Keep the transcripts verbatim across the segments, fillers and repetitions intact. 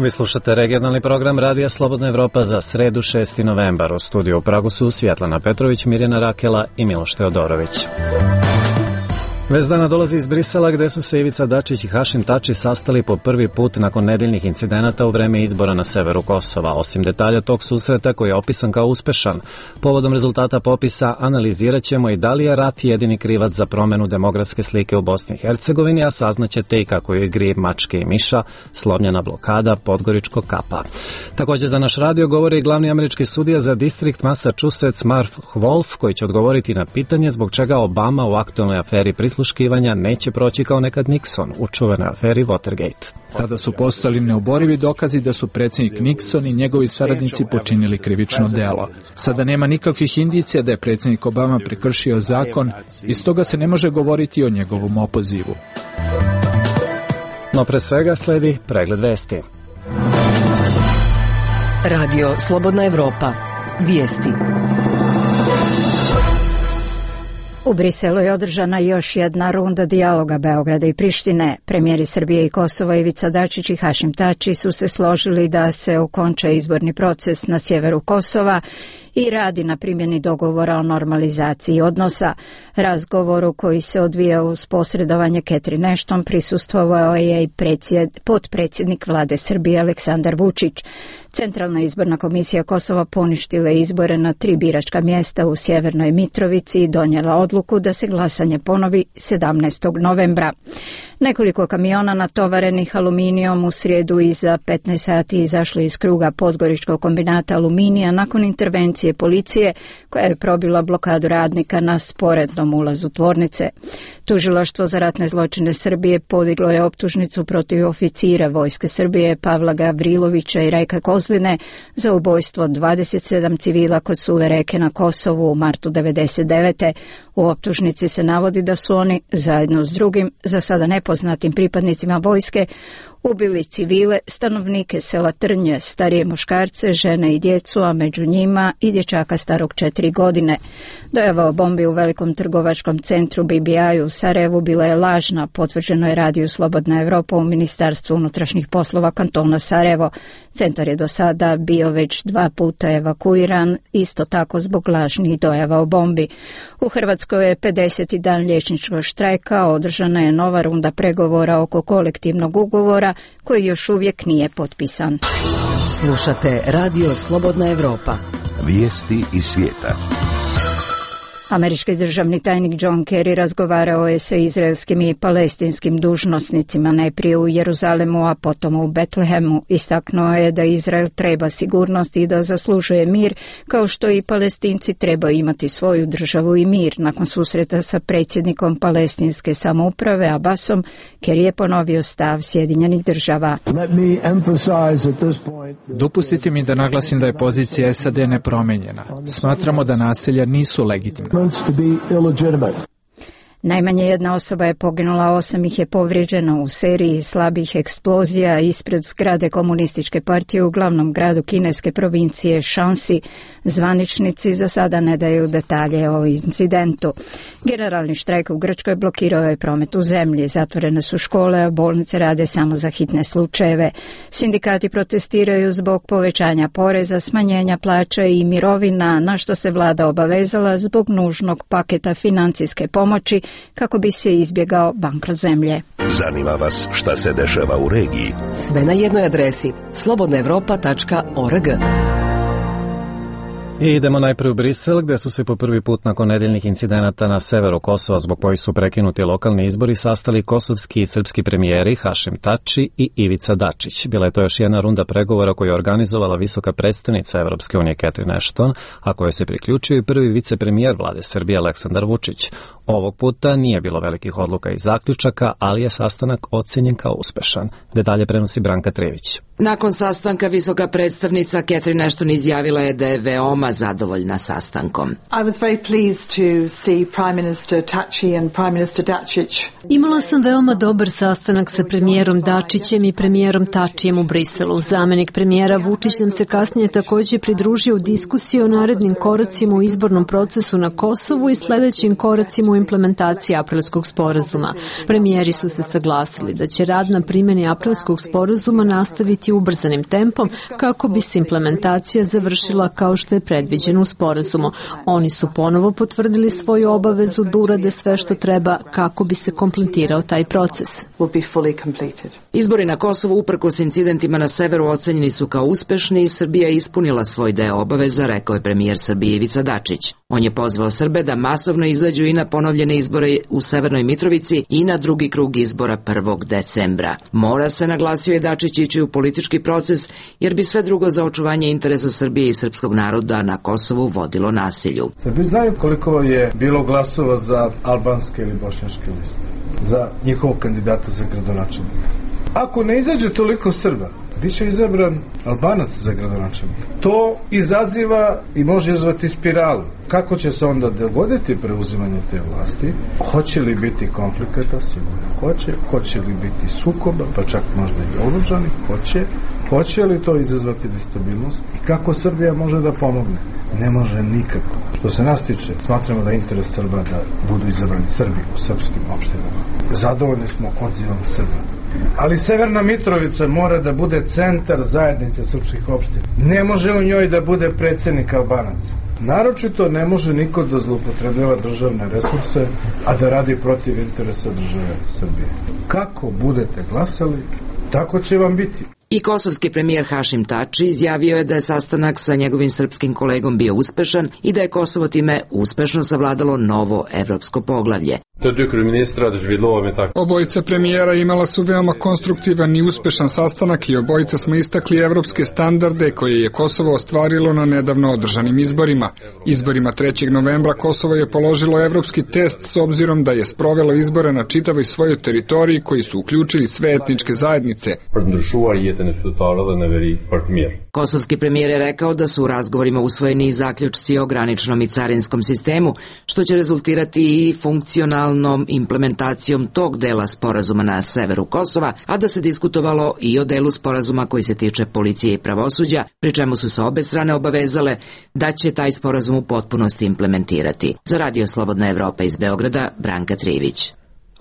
Vi slušate regionalni program Radija Slobodna Evropa za sredu šesti novembar. U studiju u Pragu su Svjetlana Petrović, Mirjana Rakela i Miloš Teodorović. Vez dana dolazi iz Brisela gde su se Ivica Dačić i Hašim Tači sastali po prvi put nakon nedeljnih incidenata u vreme izbora na severu Kosova. Osim detalja tog susreta koji je opisan kao uspešan, povodom rezultata popisa analizirat ćemo i da li je rat jedini krivac za promenu demografske slike u Bosni i Hercegovini, a saznaćete i kako je igri mačke i miša slomljena blokada Podgoričkog kapa. Također za naš radio govori i glavni američki sudija za distrikt Massachusetts Mark Wolf, koji će odgovoriti na pitanje zbog čega Obama u aktualnoj aferi prisluškivanja neće proći kao nekad Nixon u čuvenoj aferi Watergate. Tada su postojali neoborivi dokazi da su predsjednik Nixon i njegovi saradnici počinili krivično delo. Sada nema nikakvih indicija da je predsjednik Obama prekršio zakon i stoga se ne može govoriti o njegovom opozivu. No pre svega sledi pregled vesti. Radio Slobodna Evropa. Vijesti. U Briselu je održana još jedna runda dijaloga Beograda i Prištine. Premijeri Srbije i Kosova Ivica Dačić i Hašim Tači su se složili da se okonča izborni proces na sjeveru Kosova i radi na primjeni dogovora o normalizaciji odnosa. Razgovoru koji se odvija uz posredovanje Catherine Ashton prisustvovao je i predsjed, potpredsjednik vlade Srbije Aleksandar Vučić. Centralna izborna komisija Kosova poništila izbore na tri biračka mjesta u Sjevernoj Mitrovici i donijela odluku da se glasanje ponovi sedamnaestog novembra. Nekoliko kamiona natovarenih aluminijom u srijedu iza petnaest sati izašli iz kruga Podgoričkog kombinata aluminija nakon intervencije policije koja je probila blokadu radnika na sporednom ulazu tvornice. Tužilaštvo za ratne zločine Srbije podiglo je optužnicu protiv oficira Vojske Srbije Pavla Gavrilovića i Rajka Kozline za ubojstvo dvadeset sedam civila kod Suve reke na Kosovu u martu devedeset devete. U optužnici se navodi da su oni, zajedno s drugim, za sada nepoznatim pripadnicima vojske, ubili civile, stanovnike sela Trnje, starije muškarce, žene i djecu, a među njima i dječaka starog četiri godine. Dojava o bombi u velikom trgovačkom centru B B I u Sarajevu bila je lažna, potvrđeno je Radiju Slobodna Evropa u Ministarstvu unutrašnjih poslova kantona Sarajevo. Centar je do sada bio već dva puta evakuiran, isto tako zbog lažnih dojava o bombi. U Hrvatskoj je pedeseti dan liječničkog štrajka, održana je nova runda pregovora oko kolektivnog ugovora koji još uvijek nije potpisan. Slušate Radio Slobodna Evropa. Vijesti iz svijeta. Američki državni tajnik John Kerry razgovarao je sa izraelskim i palestinskim dužnosnicima najprije u Jeruzalemu, a potom u Betlehemu. Istaknuo je da Izrael treba sigurnost i da zaslužuje mir, kao što i Palestinci trebaju imati svoju državu i mir. Nakon susreta sa predsjednikom palestinske samouprave Abbasom, Kerry je ponovio stav Sjedinjenih država. Dopustite mi da naglasim da je pozicija S A D nepromenjena. Smatramo da naselja nisu legitimna. Najmanje jedna osoba je poginula, osam ih je povrijeđeno u seriji slabih eksplozija ispred zgrade komunističke partije u glavnom gradu kineske provincije Shanxi. Zvaničnici za sada ne daju detalje o incidentu. Generalni štrajk u Grčkoj blokirao je promet u zemlji, zatvorene su škole, a bolnice rade samo za hitne slučajeve. Sindikati protestiraju zbog povećanja poreza, smanjenja plaća i mirovina, na što se vlada obavezala zbog nužnog paketa financijske pomoći kako bi se izbjegao bankrot zemlje. Zanima vas šta se dešava u regiji? Sve na jednoj adresi slobodna evropa tačka org. I idemo najprije u Brisel, gde su se po prvi put nakon nedeljnih incidenata na severu Kosova, zbog kojih su prekinuti lokalni izbori, sastali kosovski i srpski premijeri Hašim Tači i Ivica Dačić. Bila je to još jedna runda pregovora koju je organizovala visoka predstavnica Evropske unije Catherine Ashton, a kojoj se priključio i prvi vicepremijer vlade Srbije Aleksandar Vučić. Ovog puta nije bilo velikih odluka i zaključaka, ali je sastanak ocenjen kao uspešan. Detalje prenosi Branka Trević. Nakon sastanka visoka predstavnica Catherine Ashton izjavila je da je veoma zadovoljna sastankom. I was very pleased to see Prime Minister Tači and Prime Minister Dačić. Imala sam veoma dobar sastanak sa premijerom Dačićem i premijerom Tačijem u Briselu. Zamenik premijera Vučić nam se kasnije također pridružio u diskusiji o narednim koracima u izbornom procesu na Kosovu i sljedećim koracima u implementaciji aprilskog sporazuma. Premijeri su se saglasili da će rad na primjeni aprilskog sporazuma nastaviti raditi ubrzanim tempom kako bi se implementacija završila kao što je predviđeno u sporazumu. Oni su ponovo potvrdili svoju obavezu da urade sve što treba kako bi se kompletirao taj proces. Izbori na Kosovu uprkos incidentima na severu ocenjeni su kao uspešni i Srbija je ispunila svoj deo obaveza, rekao je premijer Srbije Ivica Dačić. On je pozvao Srbe da masovno izađu i na ponovljene izbore u Severnoj Mitrovici i na drugi krug izbora prvog decembra. Mora se, naglasio je Dačić, ići u politički proces jer bi sve drugo za očuvanje interesa Srbije i srpskog naroda na Kosovu vodilo nasilju. Srbi znaju koliko je bilo glasova za albanske ili bošnjačke liste, za njihovog kandidata za gradonačelnika. Ako ne izađe toliko Srba, biće izabran Albanac za gradonačelnika. To izaziva i može izvati spiralu. Kako će se onda dogoditi preuzimanje te vlasti? Hoće li biti konflikata? Sigurno hoće. Hoće li biti sukoba, pa čak možda i oružani? Hoće. Hoće li to izazvati destabilnost? I kako Srbija može da pomogne? Ne može nikako. Što se nas tiče, smatramo da je interes Srba da budu izabrani Srbi u srpskim opštinama. Zadovoljni smo odzivom Srba. Ali Severna Mitrovica mora da bude centar zajednice srpskih opština. Ne može u njoj da bude predsednik Albanaca. Naročito ne može niko da zloupotrebljava državne resurse, a da radi protiv interesa države Srbije. Kako budete glasali, tako će vam biti. I kosovski premijer Hašim Tači izjavio je da je sastanak sa njegovim srpskim kolegom bio uspešan i da je Kosovo time uspešno savladalo novo evropsko poglavlje. Obojica premijera imala su veoma konstruktivan i uspešan sastanak i obojica smo istakli evropske standarde koje je Kosovo ostvarilo na nedavno održanim izborima. Izborima trećeg novembra Kosovo je položilo evropski test s obzirom da je sprovelo izbore na čitavoj svojoj teritoriji koji su uključili sve etničke zajednice. Kosovski premijer je rekao da su u razgovorima usvojeni i zaključci o graničnom i carinskom sistemu, što će rezultirati i funkcionalnom implementacijom tog dela sporazuma na severu Kosova, a da se diskutovalo i o delu sporazuma koji se tiče policije i pravosuđa, pri čemu su se obe strane obavezale da će taj sporazum u potpunosti implementirati. Za Radio Slobodna Evropa iz Beograda, Branka Trivić.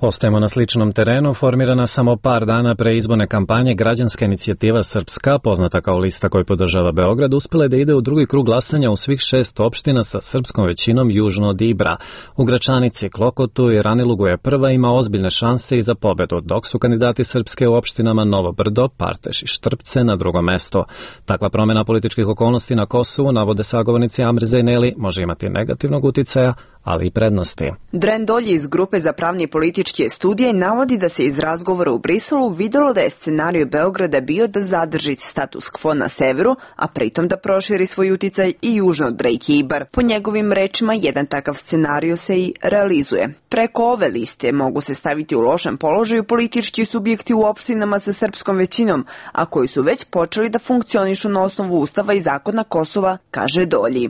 Ostajemo na sličnom terenu. Formirana samo par dana pre izborne kampanje, građanska inicijativa Srpska, poznata kao lista koju podržava Beograd, uspela je da ide u drugi krug glasanja u svih šest opština sa srpskom većinom južno od Ibra. U Gračanici, Klokotu i Ranilugu je prva, ima ozbiljne šanse i za pobedu, dok su kandidati Srpske u opštinama Novo Brdo, Parteš i Štrpce na drugom mestu. Takva promjena političkih okolnosti na Kosovu, navode sagovornici Amri Zejneli, može imati negativnog uticaja, ali i prednosti. Dren Dolje iz grupe za pravne i političke studije navodi da se iz razgovora u Briselu videlo da je scenarij Beograda bio da zadrži status quo na severu, a pritom da proširi svoj uticaj i južno od reke Ibar. Po njegovim rečima, jedan takav scenarij se i realizuje. Preko ove liste mogu se staviti u lošem položaju politički subjekti u opštinama sa srpskom većinom, a koji su već počeli da funkcionišu na osnovu Ustava i zakona Kosova, kaže Dolji.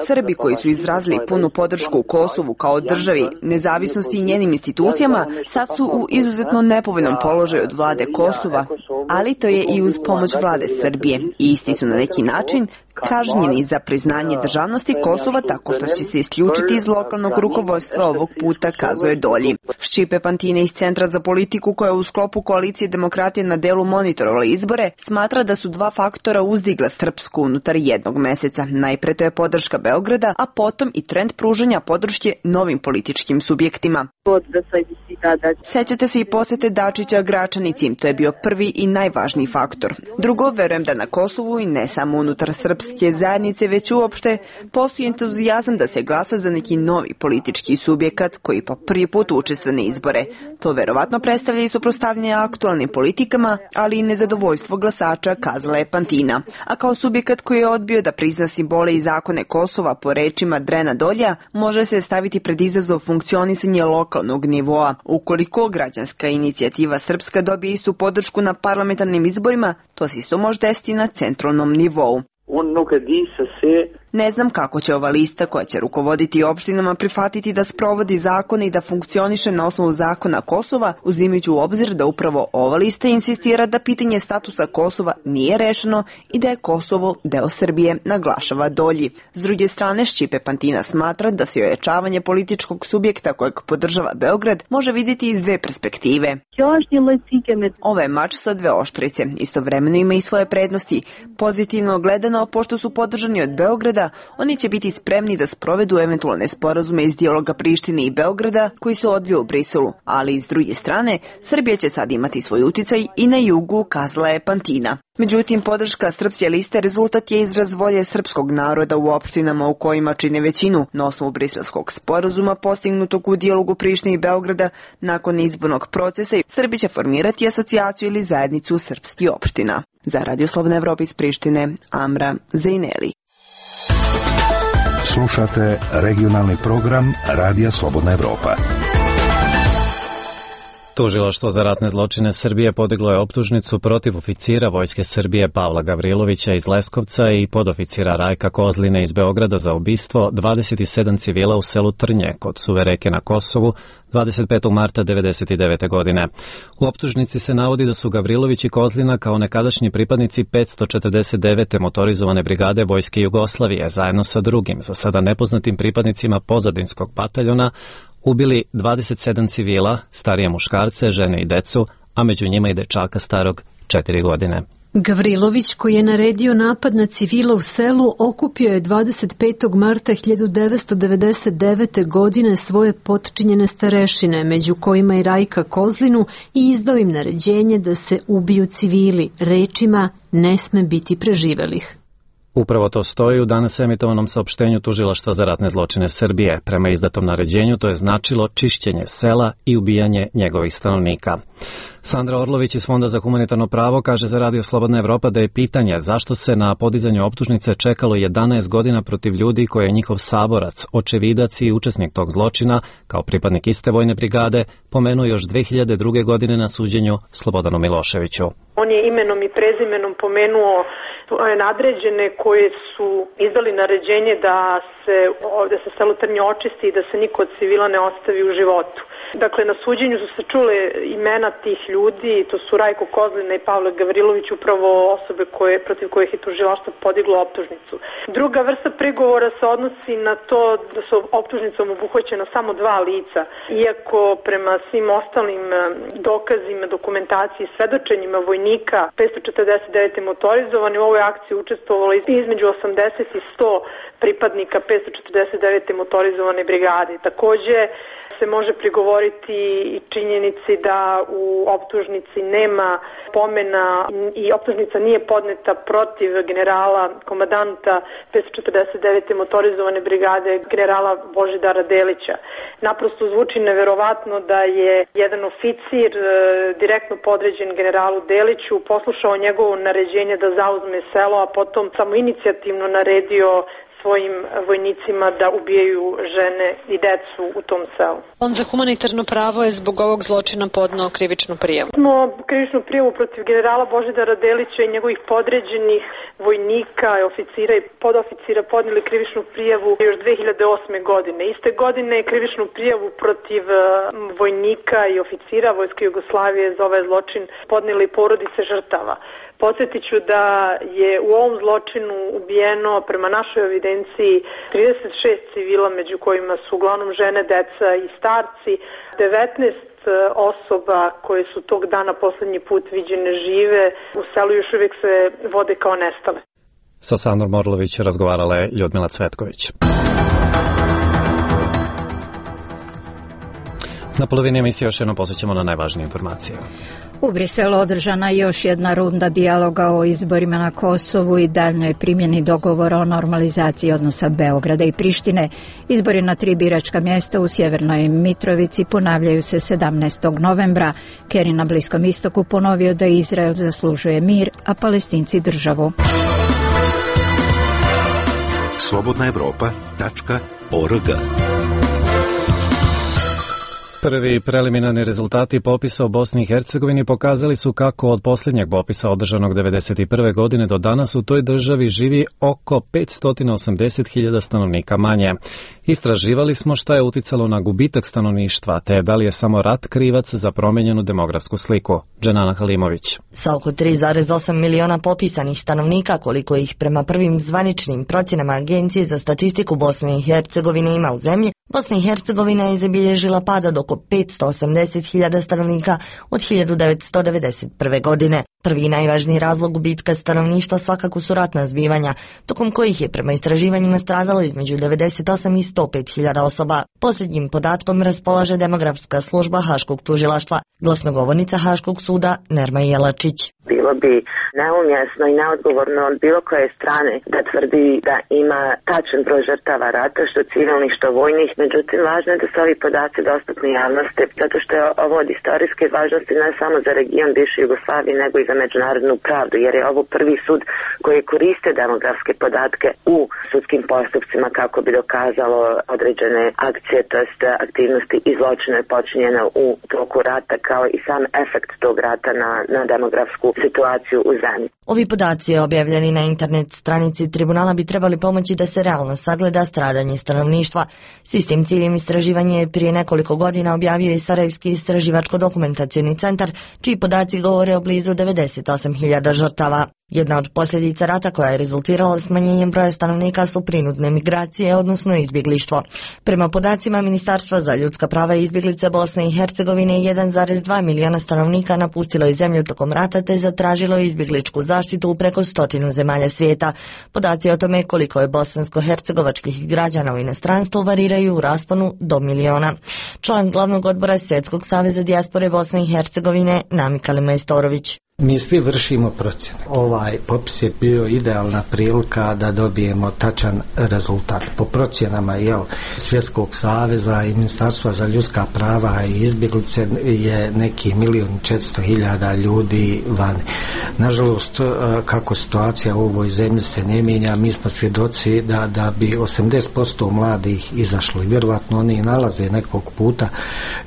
Srbi koji su izrazili punu podršku Kosovu kao državi, nezavisnosti i njenim institucijama, sad su u izuzetno nepovoljnom položaju od vlade Kosova, ali to je i uz pomoć vlade Srbije. I isti su na neki način kažnjeni za priznanje državnosti Kosova tako što će se isključiti iz lokalnog rukovodstva ovog puta, kazuje Dolji. Ščipe Pantine iz Centra za politiku, koja u sklopu koalicije demokratije na delu monitorovala izbore, smatra da su dva faktora uzdigla Srpsku unutar jednog meseca. Najpre to je podrška Beograda, a potom i trend pružanja podrške novim političkim subjektima. Sećate se i posete Dačića Gračanici, to je bio prvi i najvažniji faktor. Drugo, verujem da na Kosovu i ne samo unutar srpske zajednice, već uopšte postoji entuzijazam da se glasa za neki novi politički subjekat koji po prvi put učestvuje na izbore. To verovatno predstavlja i suprotstavljanje aktualnim politikama, ali i nezadovoljstvo glasača, kazala je Pantina. A kao subjekat koji je odbio da prizna simbole i zakone Kosova, po rečima Drena Dolja, može se staviti pred izazov funkcionisanje lokalnog nivoa. Ukoliko građanska inicijativa Srpska dobije istu podršku na parlamentarnim izborima, to se isto može desiti na centralnom nivou. Ne znam kako će ova lista koja će rukovoditi opštinama prihvatiti da sprovodi zakone i da funkcioniše na osnovu zakona Kosova, uzimajući u obzir da upravo ova lista insistira da pitanje statusa Kosova nije rešeno i da je Kosovo deo Srbije, naglašava Dolji. S druge strane, Šćipe Pantina smatra da se ojačavanje političkog subjekta kojeg podržava Beograd može vidjeti iz dve perspektive. Ovo je mač sa dve oštrice. Istovremeno ima i svoje prednosti. Pozitivno gledano, pošto su podržani od Beograda, oni će biti spremni da sprovedu eventualne sporazume iz dijaloga Prištine i Beograda koji se odvio u Briselu. Ali s druge strane, Srbija će sad imati svoj uticaj i na jugu, kazala je Pantina. Međutim, podrška Srpske liste rezultat je izraz volje srpskog naroda u opštinama u kojima čine većinu. Na osnovu briselskog sporazuma postignutog u dijalogu Prištine i Beograda, nakon izbornog procesa Srbija će formirati asocijaciju ili zajednicu srpskih opština. Za Radio Slobodna Evropa iz Prištine, Amra Zejneli. Slušate regionalni program Radija Slobodna Evropa. Tužilaštvo za ratne zločine Srbije podiglo je optužnicu protiv oficira Vojske Srbije Pavla Gavrilovića iz Leskovca i podoficira Rajka Kozline iz Beograda za ubistvo dvadeset sedam civila u selu Trnje kod Suve reke na Kosovu dvadeset petog marta devedeset devete. godine. U optužnici se navodi da su Gavrilović i Kozlina kao nekadašnji pripadnici petsto četrdeset devete motorizovane brigade Vojske Jugoslavije zajedno sa drugim, za sada nepoznatim pripadnicima pozadinskog bataljona, ubili dvadeset sedam civila, starije muškarce, žene i decu, a među njima i dečaka starog četiri godine. Gavrilović, koji je naredio napad na civila u selu, okupio je dvadeset petog marta hiljadu devetsto devedeset devete. godine svoje potčinjene starešine, među kojima i Rajka Kozlinu, i izdao im naređenje da se ubiju civili, rečima "ne sme biti preživelih". Upravo to stoji u danas emitovanom saopštenju Tužilaštva za ratne zločine Srbije. Prema izdatom naređenju to je značilo čišćenje sela i ubijanje njegovih stanovnika. Sandra Orlović iz Fonda za humanitarno pravo kaže za Radio Slobodna Evropa da je pitanje zašto se na podizanju optužnice čekalo jedanaest godina protiv ljudi koji je njihov saborac, očevidac i učesnik tog zločina, kao pripadnik iste vojne brigade, pomenuo još dve hiljade druge. godine na suđenju Slobodanu Miloševiću. On je imenom i prezimenom pomenuo nadređene koje su izdali naređenje da se ovde sa selo Trnje očisti i da se niko od civila ne ostavi u životu. Dakle, na suđenju su se čule imena tih ljudi, to su Rajko Kozlina i Pavle Gavrilović, upravo osobe koje, protiv kojih je tužilaštvo podiglo optužnicu. Druga vrsta prigovora se odnosi na to da su optužnicom obuhvaćena samo dva lica, iako prema svim ostalim dokazima, dokumentaciji, svedočenjima vojnika petsto četrdeset devete motorizovani u ovoj akciji učestvovalo između osamdeset i sto pripadnika petsto četrdeset devete motorizovane brigade. Takođe se može prigovoriti i činjenici da u optužnici nema pomena i optužnica nije podneta protiv generala, komadanta petsto četrdeset devete motorizovane brigade, generala Božidara Delića. Naprosto zvuči neverovatno da je jedan oficir direktno podređen generalu Deliću poslušao njegovo naređenje da zauzme selo, a potom samo inicijativno naredio svojim vojnicima da ubijaju žene i decu u tom selu. On za humanitarno pravo je zbog ovog zločina podneo krivičnu prijavu. Smo krivičnu prijavu protiv generala Božidara Delića i njegovih podređenih vojnika, oficira i podoficira podneli krivičnu prijavu još dve hiljade osme. godine. Iste godine je krivičnu prijavu protiv vojnika i oficira Vojske Jugoslavije za ovaj zločin podneli porodice žrtava. Podsjetit ću da je u ovom zločinu ubijeno prema našoj evidenciji trideset šest civila, među kojima su uglavnom žene, deca i starci, devetnaest osoba koje su tog dana poslednji put viđene žive u selu još uvijek se vode kao nestale. Sa Sandrom Orlović razgovarala je Ljudmila Cvetković. Na polovini emisije još jednom posjećamo na najvažnije informacije. U Briselu održana još jedna runda dijaloga o izborima na Kosovu i daljnjoj primjeni dogovora o normalizaciji odnosa Beograda i Prištine. Izbori na tri biračka mjesta u Sjevernoj Mitrovici ponavljaju se sedamnaestog novembra. Kerry na Bliskom istoku ponovio da Izrael zaslužuje mir, a Palestinci državu. slobodna evropa tačka org Prvi preliminarni rezultati popisa u Bosni i Hercegovini pokazali su kako od posljednjeg popisa održanog devedeset prve godine do danas u toj državi živi oko petsto osamdeset hiljada stanovnika manje. Istraživali smo šta je uticalo na gubitak stanovništva, te da li je samo rat krivac za promijenjenu demografsku sliku. Dženana Halimović. Sa oko tri zarez osam miliona popisanih stanovnika, koliko ih prema prvim zvaničnim procjenama Agencije za statistiku Bosne i Hercegovine ima u zemlji, Bosna i Hercegovina je zabilježila pad od oko petsto osamdeset hiljada stanovnika od hiljadu devetsto devedeset prve. godine. Prvi i najvažniji razlog gubitka stanovništva svakako su ratna zbivanja, tokom kojih je prema istraživanjima stradalo između devedeset osam i sto pet hiljada osoba. Posljednjim podatkom raspolaže demografska služba Haškog tužilaštva, glasnogovornica Haškog suda Nerma Jelačić. Bilo bi neumjesno i neodgovorno od bilo koje strane da tvrdi da ima tačan broj žrtava rata, što civilnih, što vojnih. Međutim, važno je da su ovi podaci dostupni javnosti, zato što je ovo od istorijske važnosti ne samo za region bivše Jugoslavije, nego i za međunarodnu pravdu, jer je ovo prvi sud koji koriste demografske podatke u sudskim postupcima kako bi dokazalo određene akcije, to jest aktivnosti i zločine počinjene u toku rata, kao i sam efekt tog rata na, na demografsku situaciju u zemlji. Ovi podaci objavljeni na internet stranici tribunala bi trebali pomoći da se realno sagleda stradanje stanovništva. S istim ciljem istraživanje je prije nekoliko godina objavio i Sarajevski istraživačko-dokumentacioni centar, čiji podaci govore o blizu devedeset osam hiljada žrtava. Jedna od posljedica rata koja je rezultirala smanjenjem broja stanovnika su prinudne migracije, odnosno izbjeglištvo. Prema podacima Ministarstva za ljudska prava i izbjeglice Bosne i Hercegovine, jedan zarez dva miliona stanovnika napustilo je zemlju tokom rata te zatražilo izbjegličku zaštitu u preko stotinu zemalja svijeta. Podaci o tome koliko je bosansko-hercegovačkih građana u inostranstvu variraju u rasponu do miliona. Član glavnog odbora Svjetskog saveza dijaspore Bosne i Hercegovine Namika Majstorović. Mi svi vršimo procjene. Ovaj popis je bio idealna prilika da dobijemo tačan rezultat. Po procjenama jel, Svjetskog saveza i Ministarstva za ljudska prava i izbjeglice je neki milion četiristo hiljada ljudi vani. Nažalost, kako situacija u ovoj zemlji se ne mijenja, mi smo svjedoci da, da bi osamdeset posto mladih izašlo i vjerovatno oni nalaze nekog puta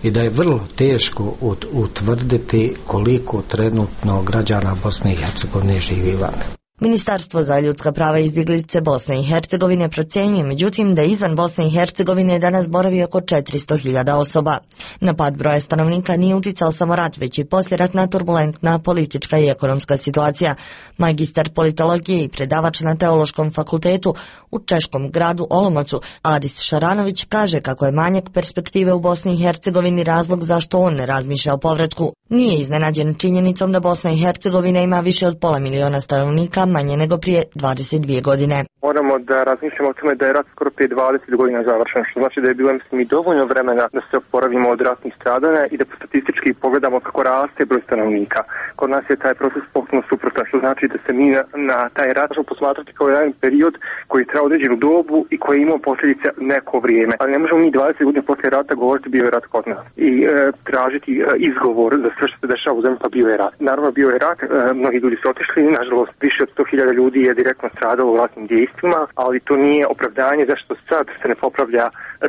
i da je vrlo teško utvrditi koliko trenutno građana Bosne i Hercegovine živi van. Ministarstvo za ljudska prava i izbjeglice Bosne i Hercegovine procjenjuje međutim da izvan Bosne i Hercegovine danas boravi oko četiristo hiljada osoba. Na pad broja stanovnika nije uticao samo rat, već i poslijeratna turbulentna politička i ekonomska situacija. Magistar politologije i predavač na Teološkom fakultetu u češkom gradu Olomoucu Adis Šaranović kaže kako je manjak perspektive u Bosni i Hercegovini razlog zašto on ne razmišlja o povratku. Nije iznenađen činjenicom da Bosna i Hercegovina ima više od pola miliona stanovnika, manje nego prije dvadeset dvije godine. Moramo da razmišljamo o tome da je rat skoro prije dvadeset godina završen, što znači da je bilo mislim i dovoljno vremena da se oporavimo od ratnih stradanja i da statistički pogledamo kako raste broj stanovnika. Kod nas je taj proces potpuno suprotan, što znači da se mi na, na taj rat možemo posmatrati kao jedan period koji je trajao određenu dobu i koji je imao posljedice neko vrijeme. Ali ne možemo mi dvadeset godina poslije rata govoriti bio je rat kod nas i e, tražiti e, izgovor za sve što se dešava u zemlji, pa bio je rat. Naravno bio je rat, e, mnogi ljudi su otišli, nažalost više od sto hiljada ljudi je direktno stradalo u ratnim dejstvima, ali to nije opravdanje zašto sad se ne popravlja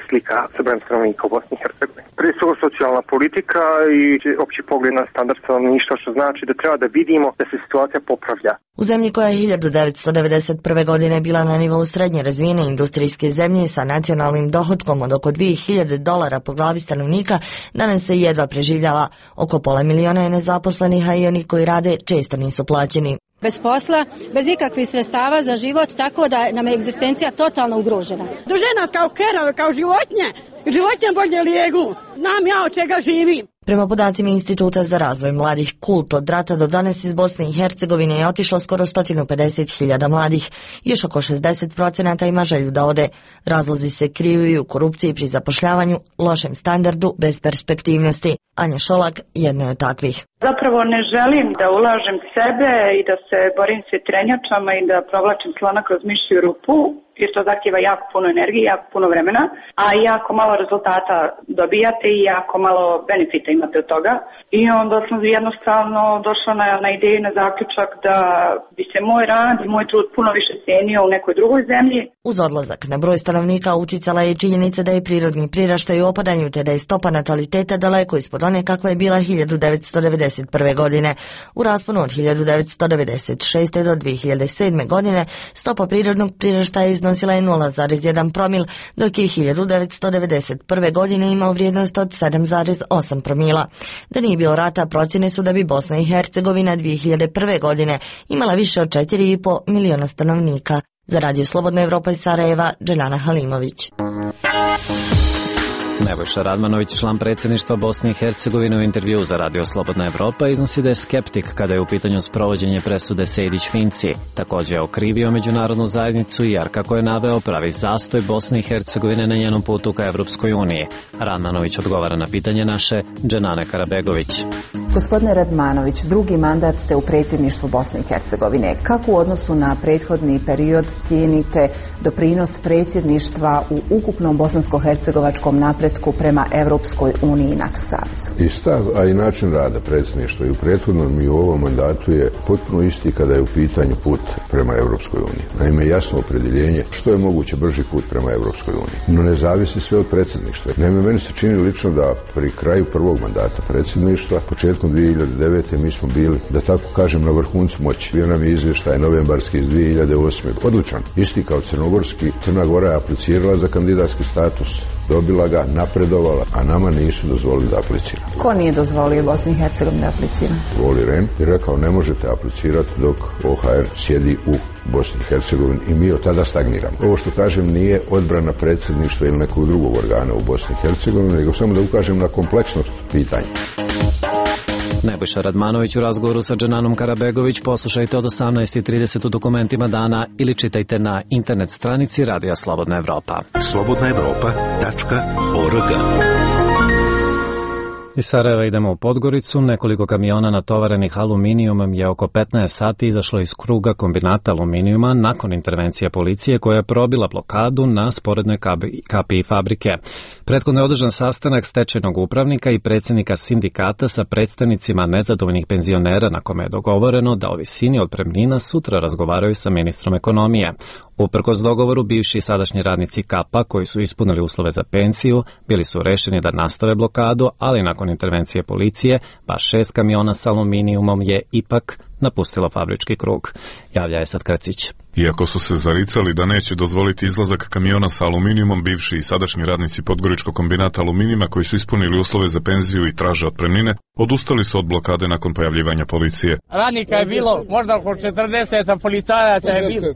slika sa brojem stanovnika u Bosni i Hercegovini. Prije svega socijalna politika i opći pogled na standard stanovništva, što znači da treba da vidimo da se situacija popravlja. U zemlji koja je hiljadu devetsto devedeset prve. godine bila na nivou srednje razvijene industrijske zemlje sa nacionalnim dohotkom od oko dvije hiljade dolara po glavi stanovnika, danas se jedva preživljava. Oko pola miliona je nezaposlenih, a i oni koji rade često nisu plaćeni. Bez posla, bez ikakvih sredstava za život, tako da nam je egzistencija totalno ugrožena. Drže nas kao kerove, kao životinje. Životinje bolje lijegu. Znam ja od čega živim. Prema podacima Instituta za razvoj mladih Kult, od rata do danas iz Bosne i Hercegovine je otišlo skoro sto pedeset hiljada mladih. Još oko šezdeset procenata ima želju da ode. Razlozi se kriju u korupciji pri zapošljavanju, lošem standardu, bez perspektivnosti. Anja Šolak jedna je od takvih. Zapravo ne želim da ulažem sebe i da se borim s vjetrenjačama i da provlačim slona kroz mišju rupu, jer to zahtjeva jako puno energije, jako puno vremena, a jako malo rezultata dobijate i jako malo benefita imate od toga. I onda sam jednostavno došla na, na ideju, na zaključak da bi se moj rad i moj trud puno više cijenio u nekoj drugoj zemlji. Uz odlazak na broj stanovnika uticala je činjenica da je prirodni priraštaj u opadanju te da je stopa nataliteta daleko ispod one kakva je bila hiljadu devetsto devedeset prve. godine. U rasponu od hiljadu devetsto devedeset šeste. do dvije hiljade sedme. godine stopa prirodnog priraštaja iznosila je nula zarez jedan promil, dok je hiljadu devetsto devedeset prve. godine imao vrijednost od sedam zarez osam promila. Da nije bilo rata, procjene su da bi Bosna i Hercegovina dvije hiljade prve. godine imala više od četiri i po miliona stanovnika. Za Radio Slobodna Evropa iz Sarajeva, Dženana Halimović. Nebojša Radmanović, član predsjedništva Bosne i Hercegovine, u intervju za Radio Slobodna Evropa iznosi da je skeptik kada je u pitanju sprovođenje presude Sejdić-Finci. Također je okrivio međunarodnu zajednicu jer, kako je naveo, pravi zastoj Bosne i Hercegovine na njenom putu ka Evropskoj uniji. Radmanović odgovara na pitanje naše Dženane Karabegović. Gospodine Radmanović, drugi mandat ste u predsjedništvu Bosne i Hercegovine. Kako u odnosu na prethodni period cijenite doprinos predsjedništva u ukupnom bosansko-hercegovačkom napretku prema Evropskoj uniji i NATO savezu? I stav, a i način rada predsjedništva i u prethodnom i u ovom mandatu je potpuno isti kada je u pitanju put prema Evropskoj uniji. Naime, jasno opredjeljenje što je moguće brži put prema Evropskoj uniji. No ne zavisi sve od predsjedništva. Naime, meni se čini lično da pri kraju prvog mandata predsjedništva, početkom dvije hiljade devete. mi smo bili, da tako kažem, na vrhuncu moći. Bio nam je izvještaj novembarski iz dvije hiljade osme. Odličan. Isti kao crnogorski. Crna Gora je aplicirala za kandidatski status, dobila ga, napredovala, a nama nisu dozvolili da aplicira. Ko nije dozvolio Bosni i Hercegovini da aplicira? Voli Ren je rekao ne možete aplicirati dok O H R sjedi u Bosni i Hercegovini i mi od tada stagniramo. Ovo što kažem nije odbrana predsjedništva ili nekog drugog organa u Bosni i Hercegovini, nego samo da ukažem na kompleksnost pitanja. Nebojša Radmanović u razgovoru sa Dženanom Karabegović poslušajte od osamnaest i trideset u dokumentima dana ili čitajte na internet stranici Radija Slobodna Evropa. slobodna evropa tačka org. Iz Sarajeva idemo u Podgoricu. Nekoliko kamiona natovarenih aluminijumom je oko petnaest sati izašlo iz kruga kombinata aluminijuma nakon intervencije policije koja je probila blokadu na sporednoj kapiji fabrike. Prethodno je održan sastanak stečajnog upravnika i predsjednika sindikata sa predstavnicima nezadovoljnih penzionera na kome je dogovoreno da o visini otpremnina sutra razgovaraju sa ministrom ekonomije. Uprkos dogovoru, bivši i sadašnji radnici Kapa koji su ispunili uslove za pensiju bili su rešeni da nastave blokadu, ali nakon intervencije policije baš šest kamiona s aluminijumom je ipak napustilo fabrički krug. Javlja je sad Kracić. Iako su se zaricali da neće dozvoliti izlazak kamiona sa aluminijumom, bivši i sadašnji radnici Podgoričkog kombinata aluminijuma koji su ispunili uslove za penziju i traže otpremnine, odustali su od blokade nakon pojavljivanja policije. Radnika je bilo možda oko četrdeset, a policajaca je bilo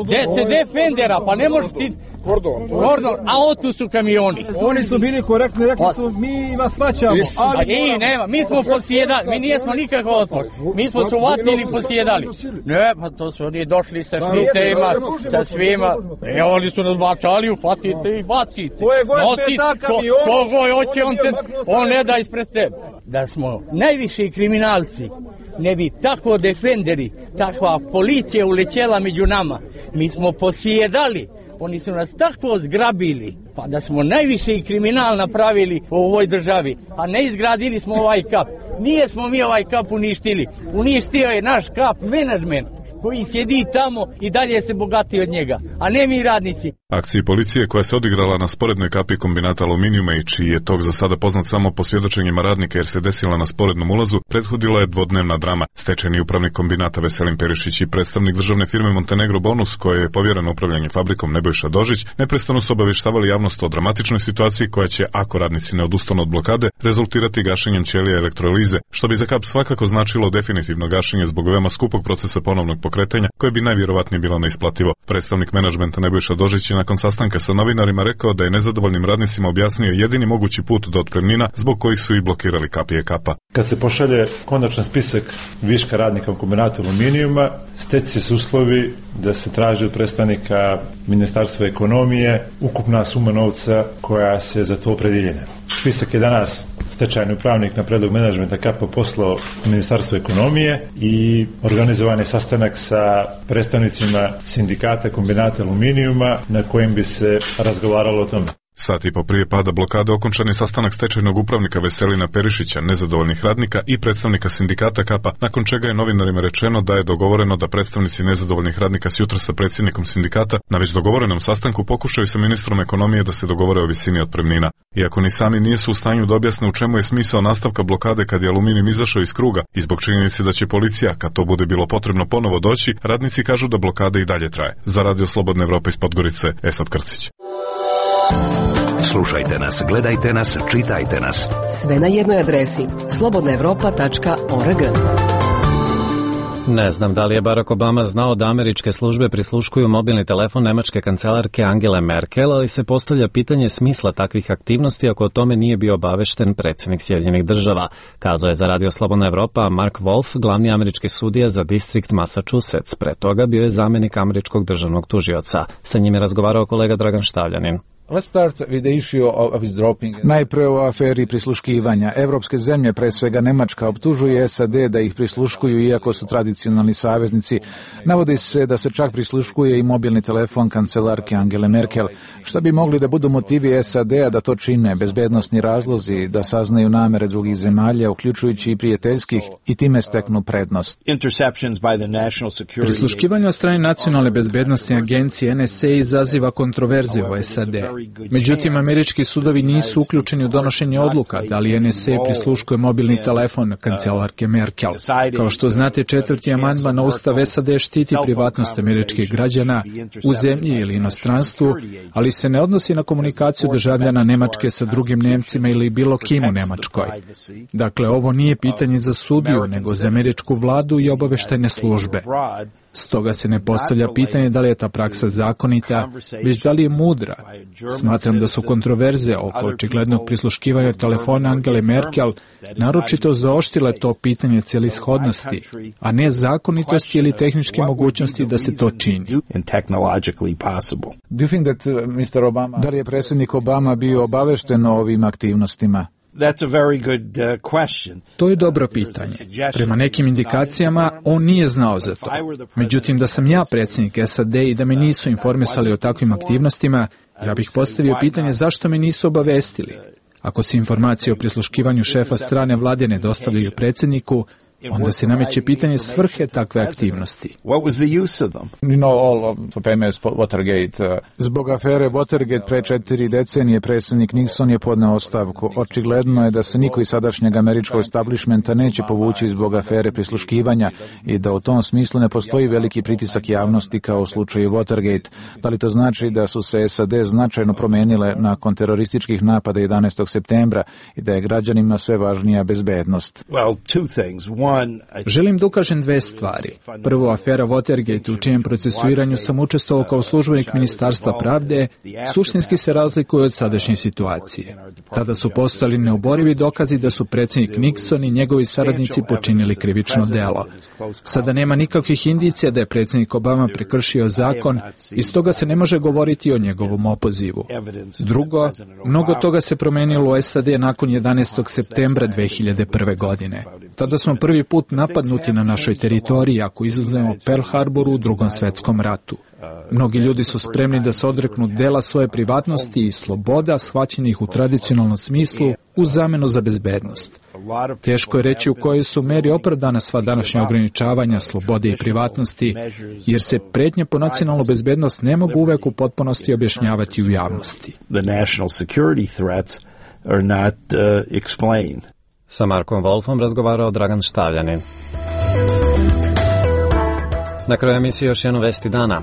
deset defendera, pa ne možeš ti... Kordon. Kordon, a otu su kamioni. Oni su bili korektni, rekli su mi vas svaćamo. Ali I, nema, mi smo posjedali, mi nijesmo nikakav otpor. Mi smo su vatili i posjedali. Ne, pa to su oni došli sa štitema, sa svima. E, oni su nas bačali, ufatite i bacite. Koje gospe ta kamion? Kogo hoće, on, te, on ne da ispred tebe. Da smo najviši kriminalci, ne bi tako defenderi, takva policija ulećela među nama. Mi smo posjedali. Oni su nas tako zgrabili, pa da smo najviše i kriminal napravili u ovoj državi, a ne izgradili smo ovaj kap. Nije smo mi ovaj kap uništili, uništio je naš kap menadžment koji sjedi tamo i dalje se bogati od njega, a ne mi radnici. Akciji policije koja se odigrala na sporednoj kapi kombinata aluminijuma i čiji je tog za sada poznat samo po svjedočenjima radnika jer se desila na sporednom ulazu, prethodila je dvodnevna drama. Stečajni upravnik kombinata Veselin Perišić i predstavnik državne firme Montenegro Bonus, koje je povjereno upravljanje fabrikom Nebojša Dožić, neprestano su obavještavali javnost o dramatičnoj situaciji koja će, ako radnici ne odustanu od blokade, rezultirati gašenjem ćelija elektrolize, što bi za kap svakako značilo definitivno gašenje zbog veoma skupog procesa ponovnog pokretanja, koje bi najvjerovatnije bilo neisplativo. Predstavnik menadžmenta Nebojša Dožić je nakon sastanka sa novinarima rekao da je nezadovoljnim radnicima objasnio jedini mogući put do otpremnina zbog kojih su i blokirali kapije kapa. Kad se pošalje konačan spisak viška radnika u kombinatu aluminijuma, steći se uslovi da se traži od predstavnika Ministarstva ekonomije ukupna suma novca koja se za to opredjeljena. Spisak je danas stečajni upravnik na predlog menadžmenta K A P A poslao Ministarstvo ekonomije i organizovan je sastanak sa predstavnicima sindikata kombinata aluminijuma na kojem bi se razgovaralo o tome. Sat i po prije pada blokade okončan je sastanak stečajnog upravnika Veselina Perišića, nezadovoljnih radnika i predstavnika sindikata K A P A, nakon čega je novinarima rečeno da je dogovoreno da predstavnici nezadovoljnih radnika sjutra sa predsjednikom sindikata na već dogovorenom sastanku pokušaju sa ministrom ekonomije da se dogovore o visini otpremnina. Iako ni sami nisu u stanju da objasne u čemu je smisao nastavka blokade kad je aluminijum izašao iz kruga i zbog činjenice da će policija, kad to bude bilo potrebno, ponovo doći, radnici kažu da blokada i dalje traje. Za Radio Slobodne Evrope iz Podgorice, Esad Krcić. Slušajte nas, gledajte nas, čitajte nas. Sve na jednoj adresi slobodna evropa tačka org. Ne znam da li je Barack Obama znao da američke službe prisluškuju mobilni telefon nemačke kancelarke Angele Merkel, ali se postavlja pitanje smisla takvih aktivnosti ako o tome nije bio obavešten predsjednik Sjedinjenih država, kazao je za Radio Slobodna Evropa Mark Wolf, glavni američki sudija za distrikt Massachusetts. Pre toga bio je zamjenik američkog državnog tužioca. Sa njim je razgovarao kolega Dragan Štavljanin. Najprije o aferi prisluškivanja. Evropske zemlje, pre svega Nemačka, optužuje S A D da ih prisluškuju iako su tradicionalni saveznici. Navodi se da se čak prisluškuje i mobilni telefon kancelarke Angele Merkel. Šta bi mogli da budu motivi S A D-a da to čine? Bezbednosni razlozi, da saznaju namere drugih zemalja, uključujući i prijateljskih, i time steknu prednost. Prisluškivanje od strane Nacionalne bezbednostne agencije N S A izaziva kontroverze u S A D. Međutim, američki sudovi nisu uključeni u donošenje odluka da li N S A prisluškuje mobilni telefon kancelarke Merkel. Kao što znate, četvrti amandman na Ustav S A D štiti privatnost američkih građana u zemlji ili inostranstvu, ali se ne odnosi na komunikaciju državljana Nemačke sa drugim Nemcima ili bilo kim u Nemačkoj. Dakle, ovo nije pitanje za sudiju, nego za američku vladu i obaveštajne službe. Stoga se ne postavlja pitanje da li je ta praksa zakonita, već da li je mudra. Smatram da su kontroverze oko očiglednog prisluškivanja telefona Angele Merkel naročito zaoštrile to pitanje celishodnosti, a ne zakonitosti ili tehničke mogućnosti da se to čini. Da li je predsjednik Obama bio obavešten o ovim aktivnostima? To je dobro pitanje. Prema nekim indikacijama, on nije znao za to. Međutim, da sam ja predsjednik S A D i da me nisu informisali o takvim aktivnostima, ja bih postavio pitanje zašto me nisu obavestili. Ako se informacije o prisluškivanju šefa strane vlade ne dostavljaju predsjedniku, onda se nameće pitanje svrhe takve aktivnosti. Zbog afere Watergate pre četiri decenije predsjednik Nixon je podneo ostavku. Očigledno je da se niko iz sadašnjeg američkog establishmenta neće povući zbog afere prisluškivanja i da u tom smislu ne postoji veliki pritisak javnosti kao u slučaju Watergate. Da li to znači da su se S A D značajno promenile nakon terorističkih napada jedanaestog septembra i da je građanima sve važnija bezbednost? Želim da ukažem dve stvari. Prvo, afera Watergate, u čijem procesuiranju sam učestvovao kao službenik Ministarstva pravde, suštinski se razlikuje od sadašnje situacije. Tada su postojali neoborivi dokazi da su predsjednik Nixon i njegovi saradnici počinili krivično delo. Sada nema nikakvih indicija da je predsjednik Obama prekršio zakon i stoga se ne može govoriti o njegovom opozivu. Drugo, mnogo toga se promenilo u S A D nakon jedanaestog septembra dve hiljade prve. godine. Tada smo prvi put napadnuti na našoj teritoriji, ako izuzmemo Pearl Harboru u Drugom svetskom ratu. Mnogi ljudi su spremni da se odreknu dela svoje privatnosti i sloboda, shvaćenih u tradicionalnom smislu, u zamenu za bezbednost. Teško je reći u kojoj su meri opravdana sva današnja ograničavanja slobode i privatnosti, jer se pretnje po nacionalnu bezbednost ne mogu uvek u potpunosti objašnjavati u javnosti. Sa Markom Wolfom razgovarao Dragan Štavljanin. Na kraju emisije još jednu vesti dana.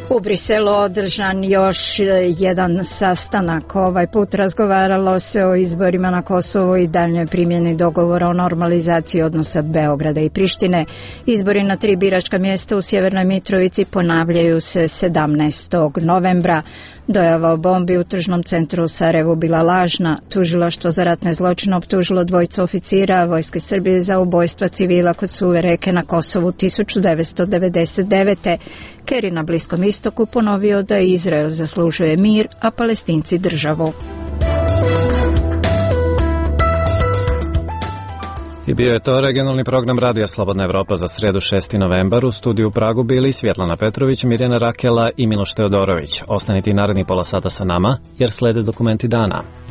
U Briselu održan još jedan sastanak. Ovaj put razgovaralo se o izborima na Kosovu i daljnjoj primjeni dogovora o normalizaciji odnosa Beograda i Prištine. Izbori na tri biračka mjesta u Sjevernoj Mitrovici ponavljaju se sedamnaestog novembra. Dojava o bombi u tržnom centru u Sarajevu bila lažna. Tužilaštvo za ratne zločine optužilo dvojicu oficira Vojske Srbije za ubojstva civila kod Suve reke na Kosovu tisuću devetsto devedeset devete. Kerry na Bliskom istoku ponovio da Izrael zaslužuje mir, a Palestinci državu. I bio je to regionalni program Radija Slobodna Evropa za sredu šesti novembar. U studiju u Pragu bili Svjetlana Petrović, Mirjana Rakela i Miloš Teodorović. Ostanite i naredni pola sata sa nama, jer slede dokumenti dana.